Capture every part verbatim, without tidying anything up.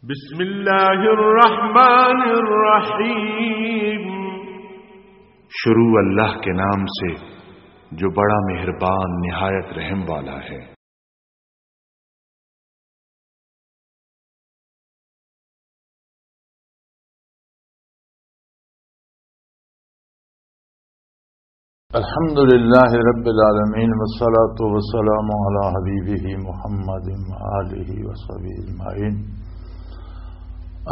بسم اللہ الرحمن الرحیم۔ شروع اللہ کے نام سے جو بڑا مہربان نہایت رحم والا ہے۔ الحمد لله رب العالمين، والصلاة والسلام على حبيبه محمد وآله وصحبه أجمعين.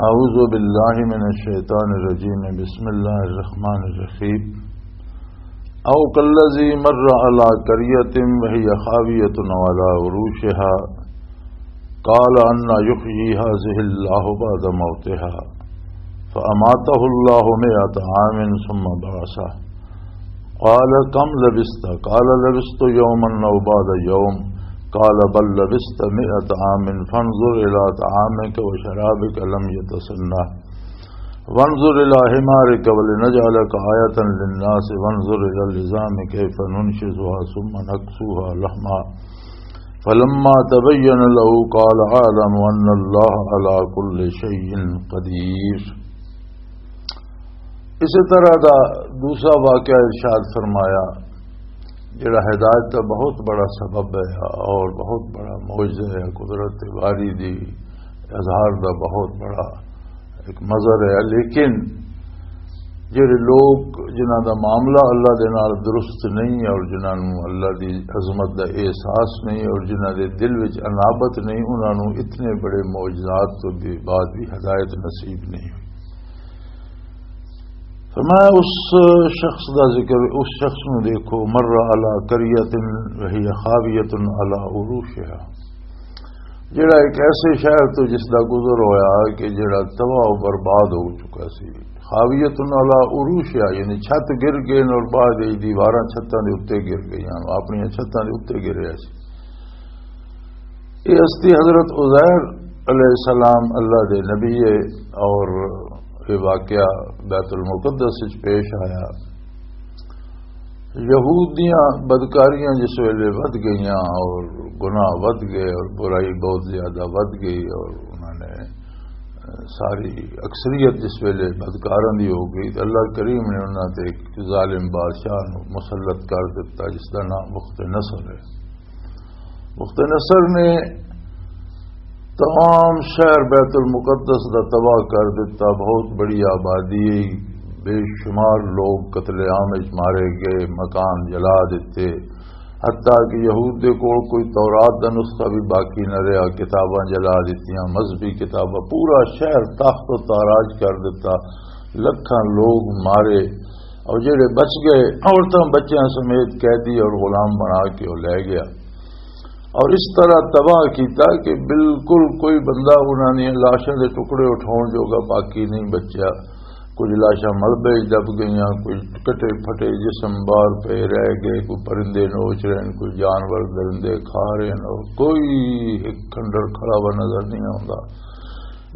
أعوذ بالله من الشيطان الرجيم. بسم الله الرحمن الرحيم. أو كالذي مر على قرية وهي خاوية على عروشها قال أنى يحيي هذه الله بعد موتها فأماته الله مائة عام ثم بعثه قال كم لبثت؟ قال لبثت يوما أو بعض يوم قال بل لبثت مائة عام فانظر إلى طعامك وشرابك لم يتسنه وانظر إلى حمارك ولنجعلك آية للناس وانظر إلى العظام كيف ننشزها ثم نكسوها لحما فلما تبين له قال أعلم أن الله على كل شيء قدير. اسی طرح دا دوسرا واقعہ ارشاد فرمایا، جڑا ہدایت دا بہت بڑا سبب ہے اور بہت بڑا معجزہ ہے، قدرت باری دی اظہار دا بہت بڑا ایک مظہر ہے۔ لیکن جڑے لوگ جنہاں دا معاملہ اللہ دے نال درست نہیں اور جنہاں نوں اللہ دی عظمت دا احساس نہیں اور جنہاں دے دل وچ انابت نہیں، انہاں نوں اتنے بڑے معجزات تو بھی بعد بھی ہدایت نصیب نہیں ہوئی۔ فرمایا، اس شخص دا ذکر، اس شخص نوں دیکھو، مر علی قریۃ وہی خاویۃ علی عروشہا، جڑا ایک ایسے شہر تو جس دا گزر ہویا کہ جڑا تباہ و برباد ہو چکا سی۔ خاویۃ علی عروشہا، یعنی چھت گر گئے اور بعد وچ دیواراں چھتاں دے اوتے گر گئیاں، اپنی چھتاں دے اوتے گریا سی۔ یہ ہستی حضرت عزیر علیہ السلام اللہ دے نبی ہے، اور یہ واقعہ بیت المقدس وچ پیش آیا۔ یہود دیاں بدکاریاں جس ویلے ودھ گئیاں اور گناہ ودھ گئے اور برائی بہت زیادہ ودھ گئی اور انہوں نے ساری اکثریت جس ویلے بدکاراں دی ہو گئی تو اللہ کریم نے انہاں تے ایک ظالم بادشاہ نوں مسلط کر دتا جس دا نام بخت نصر ہے۔ بخت نصر نے تمام شہر بیت المقدس دا تباہ کر دتا، بہت بڑی آبادی، بے شمار لوگ قتل عام وچ مارے گئے، مکان جلا دتے، حتیٰ کہ یہود دے کول کوئی تورات دا نسخہ بھی باقی نہ رہیا، کتاباں جلا دتیاں، مذہبی کتاباں، پورا شہر تخت و تاراج کر دتا، لکھاں لوگ مارے، اور جڑے بچ گئے عورتاں بچیاں سمیت قیدی اور غلام بنا کے وہ لے گیا۔ اور اس طرح تباہ کیتا کہ بالکل کوئی بندہ انہاں نے لاشاں دے ٹکڑے اٹھاؤن جوگا باقی نہیں بچیا۔ کچھ لاشاں ملبے وچ دب گئیاں، کچھ کٹے پھٹے جسم باہر پے رہ گئے، کوئی پرندے نوچ رہے ہیں، کوئی جانور درندے کھا رہے ہیں، اور کوئی ایک کھنڈر کھڑا ہوا نظر نہیں آتا۔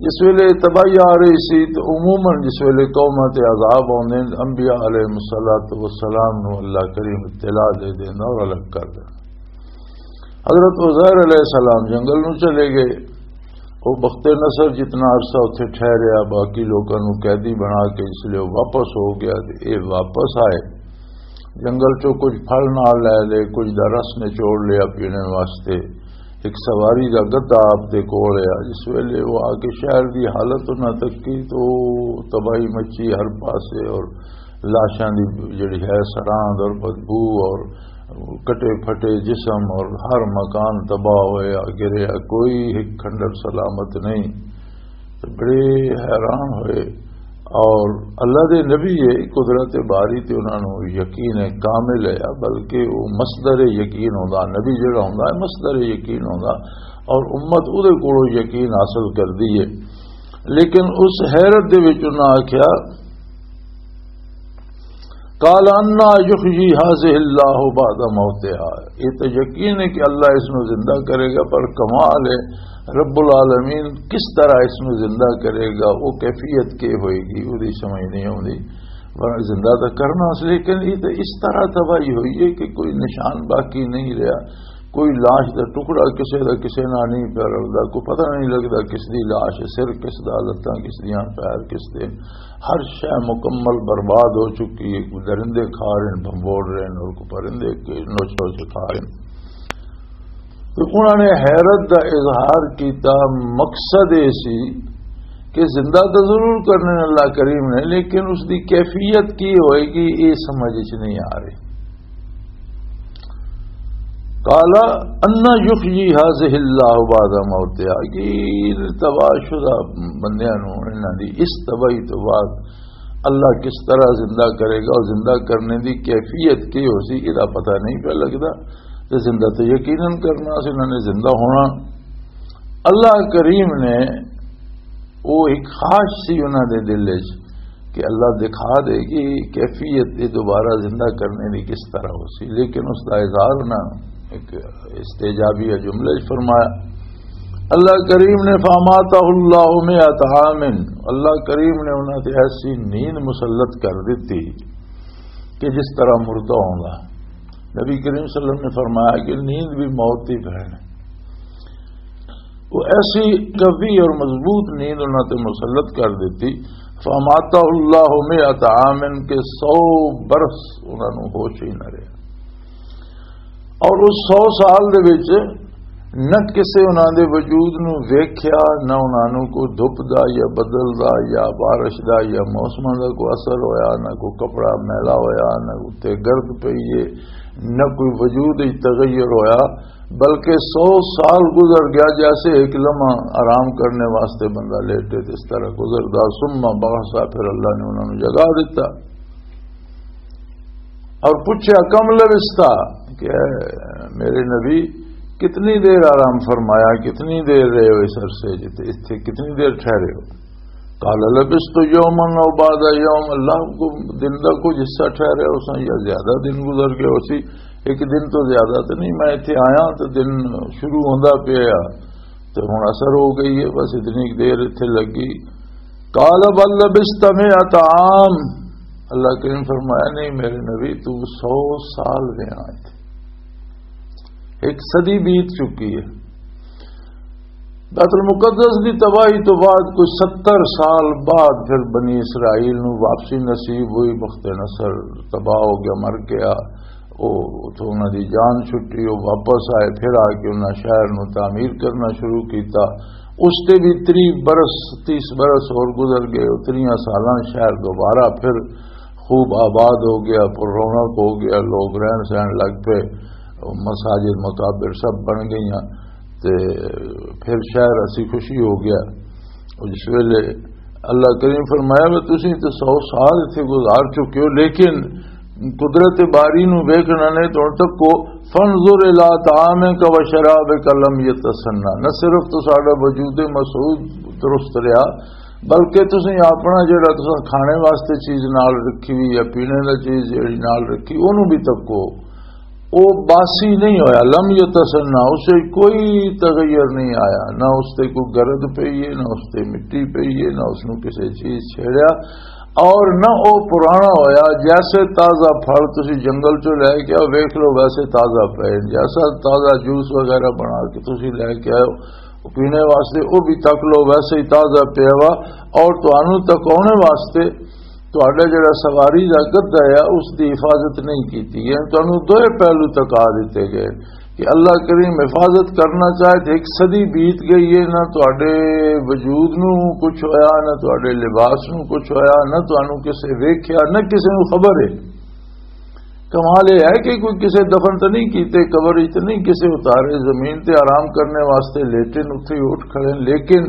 جس ویلے تباہی آ رہی سی تو عموماً جس ویلے قوماں تے عذاب آندے ہیں، انبیاء علیہ الصلوۃ والسلام نو اللہ کریم اطلاع دے دیندا اور الگ کر دیندا۔ حضرت عزیر علیہ السلام جنگل نو چلے گئے۔ وہ بخت نصر جتنا عرصہ اتھے ٹھہریا، باقی لوکاں نو قیدی بنا کے اس لیے وہ واپس ہو گیا۔ تے اے واپس آئے، جنگل چوں کچھ پھل نال لے لے، کچھ دا رس نچوڑ لیا پینے واسطے۔ ایک سواری دا گدھا آپ دے کول آیا۔ جس ویلے وہ آ کے شہر دی حالت انہاں تکی تو تباہی مچی ہر پاسے، اور لاشاں دی جڑی ہے سراند اور بدبو اور کٹے پھٹے جسم اور ہر مکان تباہ ہویا گریا، کوئی ایک کھنڈر سلامت نہیں۔ تو بڑے حیران ہوئے۔ اور اللہ دے نبی یہ قدرت باری تے انہاں نوں یقین کامل ہے، بلکہ وہ مصدر یقین ہوندا، نبی جڑا ہوندا ہے مصدر یقین ہوندا، اور امت اودے کولوں یقین حاصل کردی ہے۔ لیکن اس حیرت دے وچ انہاں آکھیا، قال انا یحیی هذه الله بعد موتها۔ یہ تو یقین ہے کہ اللہ اس نو زندہ کرے گا، پر کمال ہے رب العالمین کس طرح اس نو زندہ کرے گا، وہ کیفیت کے ہوئے گی، وہ دی سمجھ نہیں آتی۔ پر زندہ تو کرنا اس، لیکن یہ تو اس طرح تباہی ہوئی ہے کہ کوئی نشان باقی نہیں رہا۔ کوئی لاش دا ٹکڑا کسے دا کسے نال نہیں پیا رلدا، کوئی پتہ نہیں لگدا کس دی لاش ہے، سر کس دا، لتاں کس دیاں، پیر کس دے۔ ہر شے مکمل برباد ہو چکی ہے۔ کوئی درندے کھا رہے ہیں، بھنبوڑ رہے ہیں، اور کوئی پرندے کے نوچ نوچ کھا رہے ہیں۔ تو انہوں نے حیرت دا اظہار کیتا۔ مقصد یہ سی کہ زندہ تو ضرور کرنے اللہ کریم نے، لیکن اس دی کیفیت کی ہوئے گی، یہ سمجھ وچ نہیں آ رہی۔ قال ان یحیی هذه الله بعد موتها، کہ تباہ شدہ بندیاں نوں، انہاں دی اس تباہی تو بعد اللہ کس طرح زندہ کرے گا، اور زندہ کرنے دی کیفیت کی ہو سی، یہ پتہ نہیں پیا لگدا۔ تے زندہ تو یقیناً کرنا سی، انہاں نے زندہ ہونا۔ اللہ کریم نے وہ ایک خواہش سی انہاں دے دل وچ کہ اللہ دکھا دے کہ کیفیت یہ دوبارہ زندہ کرنے دی کس طرح ہو سی، لیکن اس دا اظہار نہ ایک استعجابی جملے وچ فرمایا۔ اللہ کریم نے فاماتہ اللہ مئۃ عام، اللہ کریم نے انہاں تے ایسی نیند مسلط کر دتی کہ جس طرح مردہ ہوندا۔ نبی کریم صلی اللہ علیہ وسلم نے فرمایا کہ نیند بھی موت دی بہن ہے۔ وہ ایسی قوی اور مضبوط نیند انہاں تے مسلط کر دتی، فاماتہ اللہ مئۃ عام، کہ سو برس انہاں نوں ہوش ہی نہ رہیا۔ اور اس سو سال دے وچ نہ کسے انہاں دے وجود نوں ویکھیا، نہ انہاں نوں کوئی دھپ دا یا بدل دا یا بارش دا یا موسماں دا کوئی اثر ہویا، نہ کوئی کپڑا میلا ہویا، نہ اتنے گرد پئی ہے، نہ کوئی وجود وچ تغیر ہویا، بلکہ سو سال گزر گیا، جیسے ایک لمحہ آرام کرنے واسطے بندہ لیٹے، اس طرح گزردا۔ ثم بعث، پھر اللہ نے انہاں نوں جگا دتا۔ اور پوچھا، کم لبثت، کہ اے میرے نبی، کتنی دیر آرام فرمایا، کتنی دیر رہے ہو اس عرصے جتے، اتھے کتنی دیر ٹھہرے ہو؟ قال لبثت یوما او بعض یوم، اللہ کو دن دا کچھ حصہ ٹھہرے ہو سا یا زیادہ دن گزر گئے ہو سی، ایک دن تو زیادہ تو نہیں، میں اتھے آیا تو دن شروع ہوندا پیا، تو ہن اثر ہو گئی ہے، بس اتنی دیر اتھے لگی۔ قال بل لبثت مئۃ عام، اللہ کریم فرمایا، نہیں میرے نبی، تو سو سال رہا اتھے، ایک صدی بیت چکی ہے۔ بیت المقدس دی تباہی تو بعد کوئی ستر سال بعد پھر بنی اسرائیل نو واپسی نصیب ہوئی، بخت نصر تباہ ہو گیا، مر گیا۔ او اتھوں انہاں دی جان چھٹی، او واپس آئے، پھر آ کے انہاں شہر نو تعمیر کرنا شروع کیتا۔ اس تے بھی تری برس، تیس برس اور گزر گئے۔ او تریاں سالاں شہر دوبارہ پھر خوب آباد ہو گیا، پر رونق ہو گیا، لوگ رہن سہن لگ پے، مساجد مقابر سب بن گئیاں۔ تے پھر شہر اسی خوشی ہو گیا۔ اور جس ویلے اللہ کریم فرمایا، "وہ تسی تے سو سال اتھے گزار چکے ہو، لیکن قدرت باری نو ویکھنا نے تو ہن تک کو، فانظر الی طعامک و شرابک لم یتسنہ۔" نہ صرف تو ساڈا وجود مسعود درست رہیا، بلکہ تسی اپنا جڑا تساں کھانے واسطے چیز نال رکھی ہوئی یا پینے دا چیز جڑی نال رکھی، اونوں بھی تکو۔ او باسی نہیں ہویا، لم یتسنہ، اسے کوئی تغیر نہیں آیا، نہ اس تے کوئی گرد پئی ہے، نہ اس تے مٹی پئی ہے، نہ اس نوں کسے چیز چھیڑیا، اور نہ او پرانا ہویا۔ جیسے تازہ پھل تسی جنگل چوں لے کے آؤ، ویکھ لو ویسے تازہ پئے، جیسا تازہ جوس وغیرہ بنا کے تسی لے کے آؤ پینے واسطے، او بھی تک لو ویسے ہی تازہ پیا وا، اور تانوں تکاونے واسطے تہاڈا جڑا سواری دا گدھا ہے، اس دی حفاظت نہیں کیتی گئی۔ تانوں دوئے پہلو تکا دتے گئے کہ اللہ کریم حفاظت کرنا چاہے تے ایک صدی بیت گئی ہے، نہ تہاڈے وجود نو کچھ ہویا، نہ تہاڈے لباس نو کچھ ہویا، نہ تانوں کسے ویکھیا، نہ کسے نو خبر ہے۔ کمال یہ ہے کہ کوئی کسے دفن تو نہیں کیتے، قبر وچ تو نہیں کسے اتارے، زمین تے آرام کرنے واسطے لیٹے نے، اتھے ہی اٹھ کھڑے نے، لیکن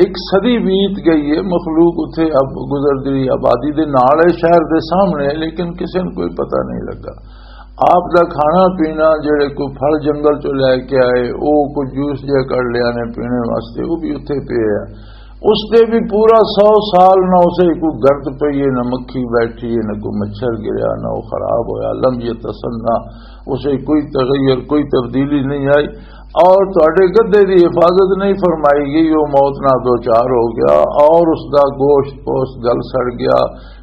ایک صدی بیت گئی ہے، مخلوق اتھے اب گزردی رہی، آبادی دے نال ہے، شہر دے سامنے ہے، لیکن کسے نوں کوئی پتہ نہیں لگا۔ آپ دا کھانا پینا، جڑے کوئی پھل جنگل چوں لے کے آئے، او کوئی جوس جے کر لیا نے پینے واسطے، وہ بھی اتھے پیا ہے۔ اس تے بھی پورا سو سال نہ اسے کوئی گرد پئی ہے، نہ مکھی بیٹھی ہے، نہ کوئی مچھر گریا، نہ وہ خراب ہویا، لم یتسنہ، اسے کوئی تغیر، کوئی تبدیلی نہیں آئی۔ اور تہاڈے گدھے دی حفاظت نہیں فرمائی گئی، وہ موت نہ دوچار ہو گیا اور اس دا گوشت پوشت گل سڑ گیا،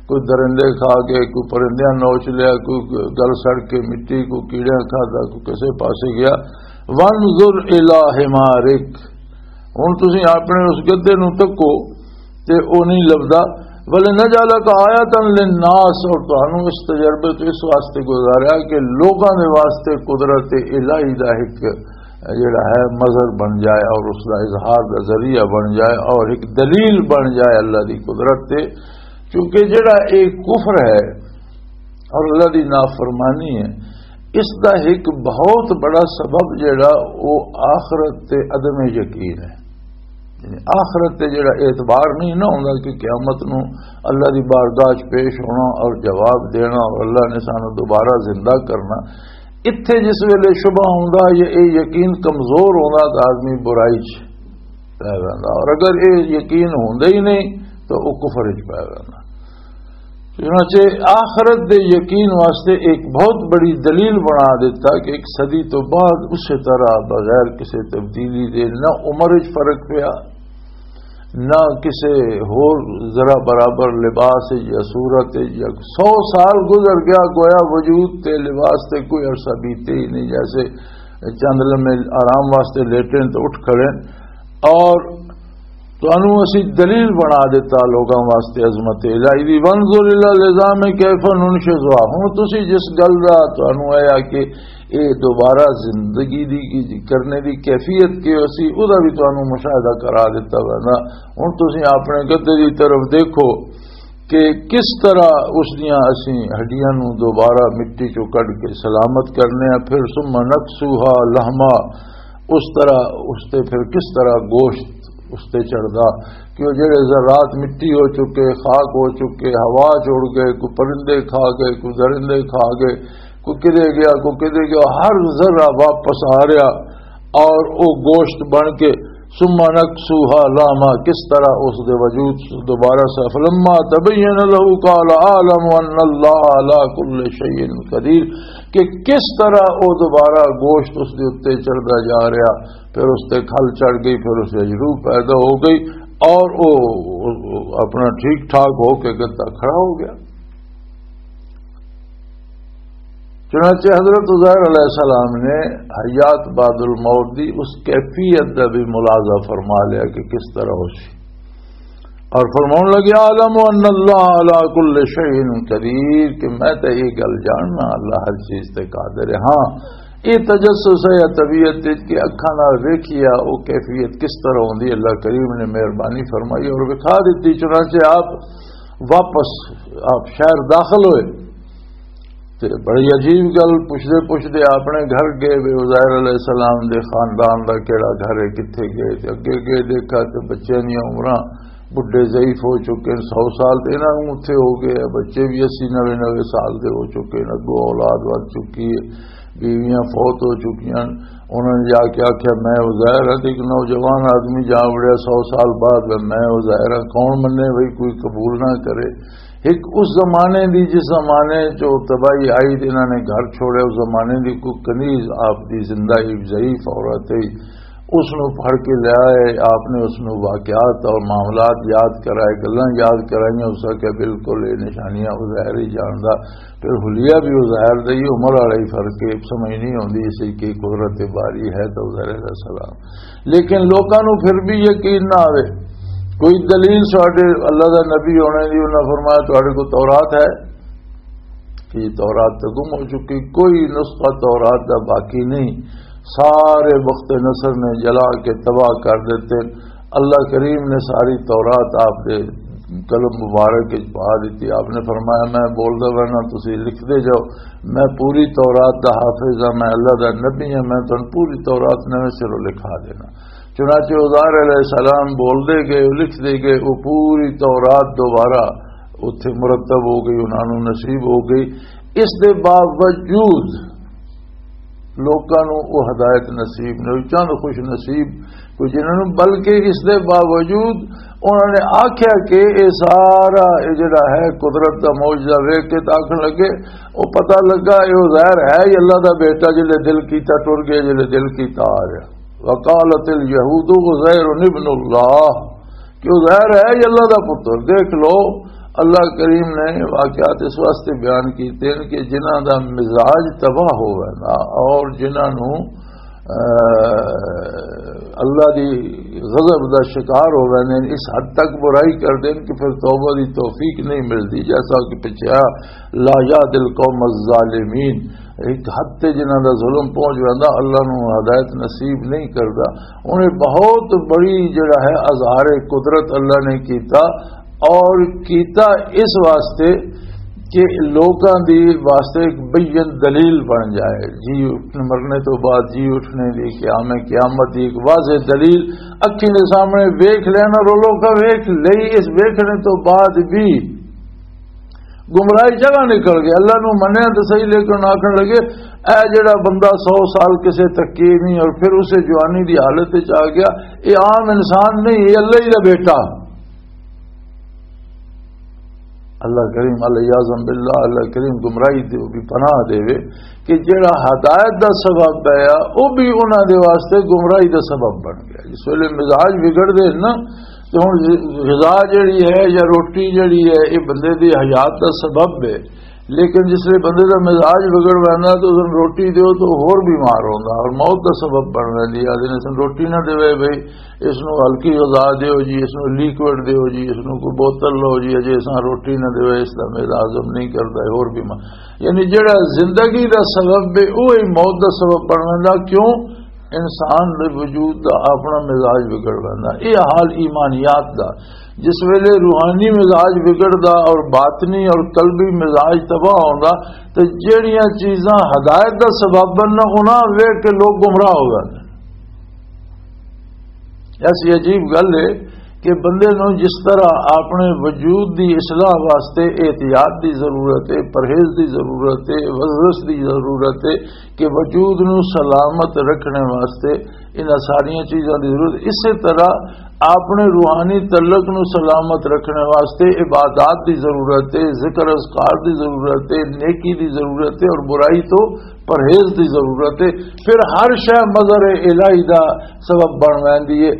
کوئی درندے کھا گئے، کوئی پرندیاں نوچ لیا، کوئی گل سڑ کے مٹی، کوئی کیڑیاں کھادا، کوئی کسے پاسے گیا۔ وانظر الی حمارک، ہن تسی اپنے اس گدے نو تکو تے او نہیں لبدا۔ ولنجعلک آیۃ للناس، اور تانوں اس تجربے تو اس واسطے گزاریا کہ لوگاں دے واسطے قدرت الہی دا ایک جڑا ہے مظہر بن جائے اور اس دا اظہار دا ذریعہ بن جائے اور ایک دلیل بن جائے اللہ دی قدرت تے۔ کیونکہ جڑا ایک کفر ہے اور اللہ دی نافرمانی ہے، اس دا ایک بہت بڑا سبب جڑا وہ آخرت تے عدم یقین ہے۔ یعنی آخرت تے جڑا اعتبار نہیں نہ ہوندا کہ قیامت نو اللہ دی بارگاہ چ پیش ہونا اور جواب دینا اور اللہ نے سانو دوبارہ زندہ کرنا، اتھے جس ویلے شبہ ہوندا یا اے یقین کمزور ہوندا، تو آدمی برائی چ پی ویندا، اور اگر اے یقین ہوندا ہی نہیں تو وہ کفر چ پی ویندا۔ چنانچہ آخرت دے یقین واسطے ایک بہت بڑی دلیل بنا دیتا کہ ایک صدی تو بعد اسی طرح بغیر کسی تبدیلی دے نہ عمر وچ فرق پیا، نہ کسی ہور ذرا برابر لباس وچ یا صورت وچ، یا سو سال گزر گیا، گویا وجود تے لباس تے کوئی عرصہ بیتے ہی نہیں، جیسے چند لمحے آرام واسطے لیٹے تو اٹھ کھڑے۔ اور تانوں اسی دلیل بنا دیتا لوگاں واسطے عظمت الہی دی۔ وانظر الی العظام کیف ننشزها۔ ہن تسی جس گل دا تانوں اے آ کہ اے دوبارہ زندگی دی کی کرنے دی کیفیت کی اسی، او دا بھی تانوں مشاہدہ کرا دیتا ویندا۔ ہن تسی اپنے گدے دی طرف دیکھو کہ کس طرح اس دیاں اسی ہڈیاں نوں دوبارہ مٹی چوں کڈ کے سلامت کرنے ہیں، پھر ثم نکسوها لحما، اس طرح اس تے پھر کس طرح گوشت اس تے چڑھدا، کہ وہ جڑے ذرات مٹی ہو چکے، خاک ہو چکے، ہوا چ اڑ گئے، کوئی پرندے کھا گئے، کوئی درندے کھا گئے، کوئی کدے گیا، کوئی کدے گیا، ہر ذرہ واپس آ رہا اور وہ گوشت بن کے ثم نکسوها لحما، کس طرح اس دے وجود دوبارہ سے، فلما تبین له قال اعلم ان اللہ علی کل شیء قدیر، کہ کس طرح وہ دوبارہ گوشت اس دے اُتے چڑھدا جا رہا، پھر اس تے کھل چڑھ گئی، پھر اس وچ روح پیدا ہو گئی اور وہ اپنا ٹھیک ٹھاک ہو کے گدا کھڑا ہو گیا۔ چنانچہ حضرت عزیر علیہ السلام نے حیات بعد الموت دی اس کیفیت دا بھی ملاحظہ فرما لیا کہ کس طرح ہو سی، اور فرماؤن لگے، اعلم ان اللہ علی کل شیء قدیر، کہ میں تے یہ گل جاننا اللہ ہر چیز تے قادر ہے۔ ہاں، یہ تجسس ہے یا طبیعت وچ کہ اکھاں نال ویکھیا، وہ کیفیت کس طرح ہوندی، اللہ کریم نے مہربانی فرمائی اور وکھا دتی۔ چنانچہ آپ واپس، آپ شہر داخل ہوئے تے بڑی عجیب گل پوچھدے پوچھدے اپنے گھر گئے، وے عزیر علیہ السلام دے خاندان دا کیڑا گھر ہے، کتھے گئے، تے اگے گئے دیکھا تے بچیاں دیاں عمراں بڈھے ضعیف ہو چکے ہیں، سو سال تے انہاں نوں اتھے ہو گئے، بچے بھی اسی نوے نوے سال دے ہو چکے ہیں، اگوں اولاد ود چکی ہے، بیویاں فوت ہو چکی ہیں۔ انہوں نے جا کے آخیا، میں عزیر ہاں، تے ایک نوجوان آدمی جا وڑیا سو سال بعد، میں عزیر ہاں، کون منے بھئی، کوئی قبول نہ کرے۔ ایک اس زمانے دی، جس زمانے جو تباہی آئی تے انہاں نے گھر چھوڑے، اس زمانے دی کوئی کنیز آپ دی زندہ ہی ضعیف عورت ہے، اس نو پھڑ کے لے آئے، آپ نے اس نو واقعات اور معاملات یاد کرائے، گلاں یاد کرائیاں، اس کا کہ بالکل یہ نشانیاں وہ ظاہر ہی جاندا۔ پھر حلیہ بھی وہ ظاہر دی عمر والا ہی فرق ہے، سمجھ نہیں آتی اسی کی قدرت باری ہے تو ظاہر ہے سلام۔ لیکن لوکاں نو پھر بھی یقین نہ آوے، کوئی دلیل ساڈے اللہ دا نبی ہونے دی، انہاں فرمایا، تہاڈے کو تورات ہے؟ کہ یہ تورات تو گم ہو چکی، کوئی نسخہ تورات دا باقی نہیں، سارے بخت نصر نے جلا کے تباہ کر دیتے۔ اللہ کریم نے ساری تورات آپ دے قلم مبارک وچ پا دیتی۔ آپ نے فرمایا، میں بولدا رہنا، تسی لکھدے جاؤ، میں پوری تورات دا حافظ ہاں، میں اللہ دا نبی ہاں، میں تانوں پوری تورات نویں سروں لکھا دینا۔ چنانچہ عزیر علیہ السلام بولدے گئے، لکھدے گئے، وہ پوری تورات دوبارہ اتھے مرتب ہو گئی، انہاں نوں نصیب ہو گئی۔ اس دے باوجود لوکاں نوں وہ ہدایت نصیب نہیں ہوئی، چند خوش نصیب کوئی جنہاں نوں، بلکہ اس دے باوجود انہاں نے آکھیا کہ یہ سارا، یہ جڑا ہے، قدرت دا معجزہ ویکھ کے تے آکھن لگے، وہ پتہ لگا یہ عزیر ہے ہی اللہ دا بیٹا، جلے دل کیتا ٹر گیا، جلے دل کیتا آ گیا۔ وقالت الیہود عزیر ابن اللہ، کہ عزیر ہے ہی اللہ دا پتر۔ دیکھ لو، اللہ کریم نے واقعات اس واسطے بیان کیتے ہیں کہ جنہاں دا مزاج تباہ ہوئے نا اور جنہاں نوں اے، اللہ دی غضب دا شکار ہو ویندے نے، اس حد تک برائی کردے نے کہ پھر توبہ دی توفیق نہیں ملدی، جیسا کہ پچھے آیا، "لا یہدی القوم الظالمین۔" ایک حد تے جنہاں دا ظلم پہنچ ویندا، اللہ نو ہدایت نصیب نہیں کردا۔ انہیں بہت بڑی جڑا ہے اظہار قدرت اللہ نے کیتا، اور کیتا اس واسطے کہ لوکاں دی واسطے ایک بین دلیل بن جائے۔ جی اٹھنے، مرنے تو بعد جی اٹھنے دی، قیام قیامت دی ایک واضح دلیل اکھیں دے سامنے ویکھ لینا، اور لوکاں ویکھ لئی، اس ویکھنے تو بعد بھی گمراہی جگہ نکل گئے۔ اللہ نو منیا تو صحیح، لیکن آخر لگے، "اے جڑا بندہ سو سال کسے تکے نہیں اور پھر اسے جوانی دی حالت وچ آ گیا، یہ عام انسان نہیں، یہ اللہ ہی دا بیٹا۔" اللہ کریم، علیہ اعظم باللہ، اللہ کریم گمراہی دے بھی پناہ دے، کہ جڑا ہدایت دا سبب ہے، وہ بھی انہاں دے واسطے گمراہی دا سبب بن گیا۔ جس ویلے مزاج بگڑ دے نا، تو ہن غذا جڑی ہے یا روٹی جڑی ہے، یہ بندے دی حیات دا سبب ہے، لیکن جس ویلے بندے دا مزاج بگڑ ویندا تو اس نوں روٹی دیو تو ہور بیمار ہوندا اور موت دا سبب بن ویندی ہے۔ آدھے نے، "اس نوں روٹی نہ دیوے بھائی، اس نوں ہلکی غذا دیو جی، اس نوں لیکوئڈ دیو جی، اس نوں کوئی بوتل لو جی، اجے اساں روٹی نہ دیوے، اس دا میدا ہضم نہیں کردا، ہور بیمار۔" یعنی جڑا زندگی دا سبب ہے، وہ ہی موت دا سبب بن ویندا۔ کیوں؟ انسان دے وجود دا اپنا مزاج بگڑ ویندا۔ یہ حال ایمانیات دا۔ جس ویلے روحانی مزاج بگڑدا اور باطنی اور قلبی مزاج تباہ ہوندا، تے جڑیاں چیزاں ہدایت دا سبب بننا، انہاں ویکھ کے لوگ گمراہ ہو جاندے۔ ایسی عجیب گل ہے کہ بندے نوں جس طرح اپنے وجود دی اصلاح واسطے احتیاط دی ضرورت ہے، پرہیز دی ضرورت ہے، ورزش دی ضرورت ہے، کہ وجود نوں سلامت رکھنے واسطے انہاں ساریاں چیزاں دی ضرورت، اسی طرح اپنے روحانی تعلق نوں سلامت رکھنے واسطے عبادات دی ضرورت ہے، ذکر اذکار دی ضرورت ہے، نیکی دی ضرورت ہے اور برائی تو پرہیز دی ضرورت ہے۔ پھر ہر شے مظہر الہی دا سبب بن ویندی ہے۔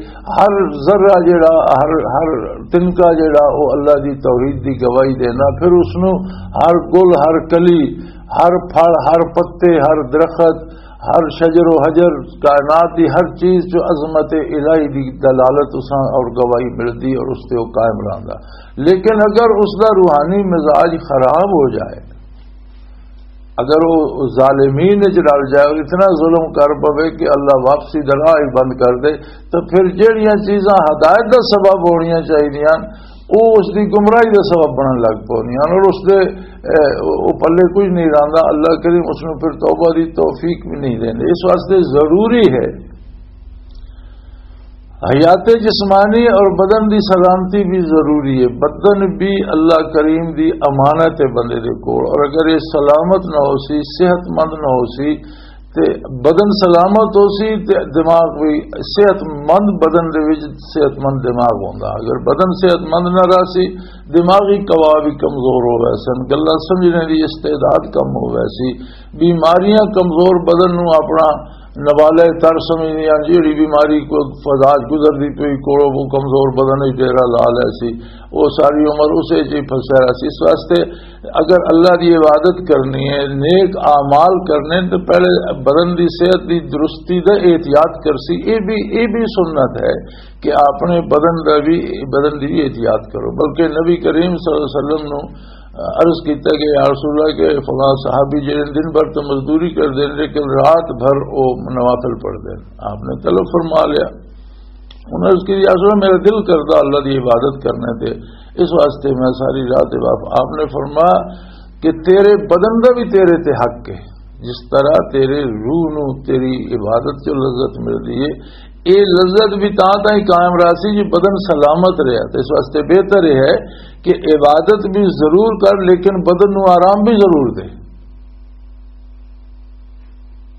ہر ذرہ جڑا، ہر، ہر تنکا جڑا، وہ اللہ دی توحید دی گواہی دینا۔ پھر اس نوں ہر گل، ہر کلی، ہر پھل، ہر پتے، ہر درخت، ہر شجر و حجر، کائنات دی ہر چیز جو عظمت الہی دی دلالت اساں اور گواہی ملدی اور اس تے وہ قائم رہندا۔ لیکن اگر اس دا روحانی مزاج خراب ہو جائے، اگر وہ ظالمین وچ رل جائے اور اتنا ظلم کر پوے کہ اللہ واپسی دا راہ ہی بند کر دے، تو پھر جہڑیاں چیزاں ہدایت دا سبب ہونیاں چاہیدیاں، وہ اس دی گمراہی دا سبب بنن لگ پوندیاں اور اس دے، اے، وہ پلے کچھ نہیں رہندا۔ اللہ کریم اس نوں پھر توبہ دی توفیق بھی نہیں دیندے۔ اس واسطے ضروری ہے، حیات جسمانی اور بدن دی سلامتی بھی ضروری ہے۔ بدن بھی اللہ کریم دی امانت ہے بندے دے کول، اور اگر یہ سلامت نہ ہو سی، صحت مند نہ ہو سی، تے بدن سلامت ہو سی تے دماغ بھی صحت مند، بدن دے وچ صحت مند دماغ ہوندا۔ اگر بدن صحت مند نہ رہ سی، دماغی قوا بھی کمزور ہو ویسن، گلاں سمجھنے دی استعداد کم ہو ویسی، بیماریاں کمزور بدن نوں اپنا نوالہ تر سمجھدیاں، جیڑی بیماری کو فضاج گزردی پئی کولو، وہ کمزور بدن وچ ڈیرہ لا لے سی، وہ ساری عمر اسے چ ہی پھنسیا رہ سی۔ اس واسطے اگر اللہ دی عبادت کرنی ہے، نیک اعمال کرنے، تو پہلے بدن دی صحت دی درستی دا احتیاط کر سی۔ یہ بھی، یہ بھی سنت ہے کہ اپنے بدن دا بھی، بدن دی بھی احتیاط کرو۔ بلکہ نبی کریم صلی اللہ علیہ وسلم نو عرض کیتا کہ یا رسول اللہ، کہ فلاں صحابی جڑے دن بھر تو مزدوری کردے نے، لیکن رات بھر او نوافل پڑھدے نے۔ آپ نے طلب فرما لیا۔ انہوں نے عرض کی، یا رسول اللہ، میرا دل کردا اللہ دی عبادت کرنے تے، اس واسطے میں ساری رات عبادت۔ آپ نے فرمایا کہ تیرے بدن دا بھی تیرے تے حق ہے، جس طرح تیرے روح نو تیری عبادت چ لذت ملدی ہے، اے لذت بھی تاں تائیں قائم رہسی جے بدن سلامت رہیا۔ تے اس واسطے بہتر یہ ہے کہ عبادت بھی ضرور کر، لیکن بدن نو آرام بھی ضرور دے۔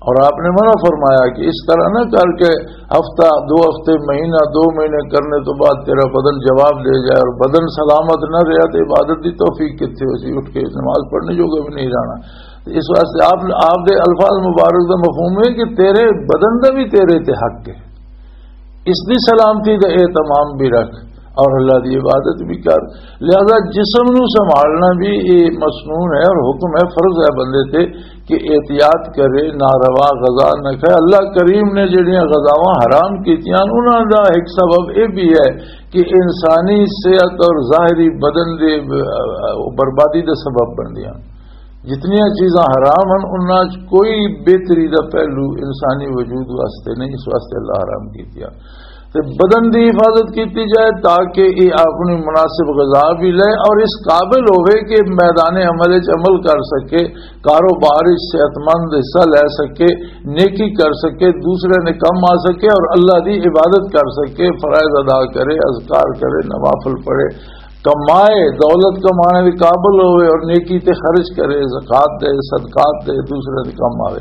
اور آپ نے منع فرمایا کہ اس طرح نہ کر کے ہفتہ، دو ہفتے، مہینہ، دو مہینے کرنے تو بعد تیرا بدن جواب دے جائے اور بدن سلامت نہ رہا تو عبادت دی توفیق کتنے ہو سی، اٹھ کے نماز پڑھنے جو بھی نہیں رہنا۔ اس واسطے آپ، آپ دے الفاظ مبارک دا مفہوم ہے کہ تیرے بدن دا بھی تیرے تے حق ہے، اس دی سلامتی دا اہتمام بھی رکھ اور اللہ دی عبادت بھی کر۔ لہذا جسم نو سنبھالنا بھی یہ مسنون ہے اور حکم ہے، فرض ہے بندے تے کہ احتیاط کرے، ناروا غذا نہ کھائے۔ اللہ کریم نے جڑیاں غذاواں حرام کیتیاں، انہاں دا ایک سبب یہ بھی ہے کہ انسانی صحت اور ظاہری بدن دے، آ، بربادی دا سبب بندیاں۔ جتنیاں چیزاں حرام ہیں، انہاں چ کوئی بہتری دا پہلو انسانی وجود واسطے نہیں، اس واسطے اللہ حرام کیتیاں۔ تے بدن دی حفاظت کیتی جائے تاکہ یہ اپنی مناسب غذا بھی لے اور اس قابل ہوئے کہ میدان عمل وچ عمل کر سکے، کاروبار وچ صحت مند حصہ لے سکے، نیکی کر سکے، دوسرے نے کم آ سکے اور اللہ دی عبادت کر سکے، فرائض ادا کرے، اذکار کرے، نوافل پڑھے، کمائے، دولت کمانے دے قابل ہوئے اور نیکی تے خرچ کرے، زکوٰۃ دے، صدقات دے، دوسرے دے کم آوے۔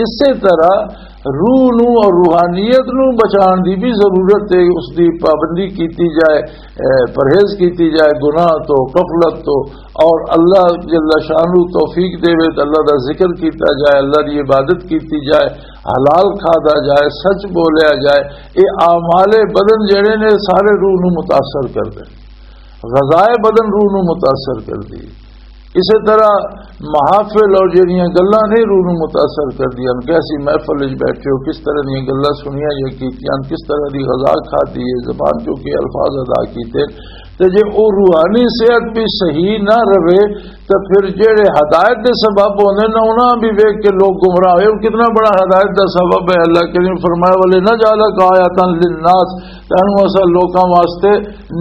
اسی طرح روح نو اور روحانیت نو بچان دی بھی ضرورت ہے، اس دی پابندی کیتی جائے، اے، پرہیز کیتی جائے گناہ تو، غفلت تو، اور اللہ جل شانہ توفیق دے وے تو اللہ دا ذکر کیتا جائے، اللہ دی عبادت کیتی جائے، حلال کھادا جائے، سچ بولیا جائے۔ یہ اعمال بدن جڑے نے سارے روح نو متاثر کردے، غذائے بدن روح نو متاثر کردی۔ اسی طرح محافل اور جڑیاں گلاں نے روح نو متاثر کردیاں، کیسی محفل وچ بیٹھے ہو، کس طرح دیاں گلاں سنیاں یا کیتیاں، کس طرح دی غذا کھادی ہے، زبان چوں کے الفاظ ادا کیتے۔ تے جے او روحانی صحت بھی صحیح نہ رہے، تے پھر جڑے ہدایت دے سبب ہوندے نے، انہاں بھی ویکھ کے لوگ گمراہ ہوئے۔ اور کتنا بڑا ہدایت دا سبب ہے۔ اللہ کریم فرمایا، "ولنجعلک آیۃ للناس"، تینوں اساں لوکاں واسطے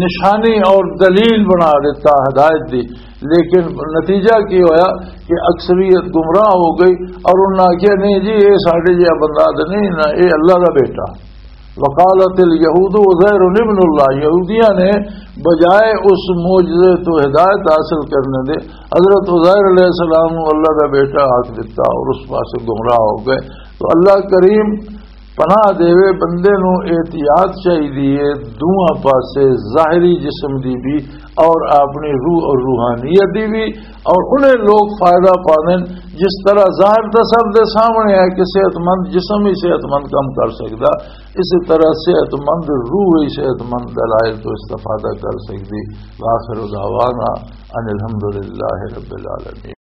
نشانی اور دلیل بنا دیتا ہدایت دی۔ لیکن نتیجہ کی ہویا کہ اکثریت گمراہ ہو گئی اور انہاں آکھیا، "نہیں جی، یہ ساڈے جہا بندہ تے نہیں نا، یہ اللہ دا بیٹا۔" وقالت الیہود عزیر ابن اللہ، یہودیاں نے بجائے اس معجزے تو ہدایت حاصل کرنے دے حضرت عزیر علیہ السلام نو اللہ دا بیٹا آکھ دتا اور اس پاسے گمراہ ہو گئے۔ تو اللہ کریم پناہ دیوے، بندے نو احتیاط چاہیے دوواں پاسے، ظاہری جسم دی بھی اور اپنی روح اور روحانیت دی بھی۔ اور انہیں لوگ فائدہ پاندے نے، جس طرح ظاہر تے سب دے سامنے ہے کہ صحت مند جسم ہی صحت مند کم کر سکدا، اسی طرح صحت مند روح ہی صحت مند دلائل تو استفادہ کر سکدی۔ وآخر دعوانا ان الحمدللہ رب العالمین۔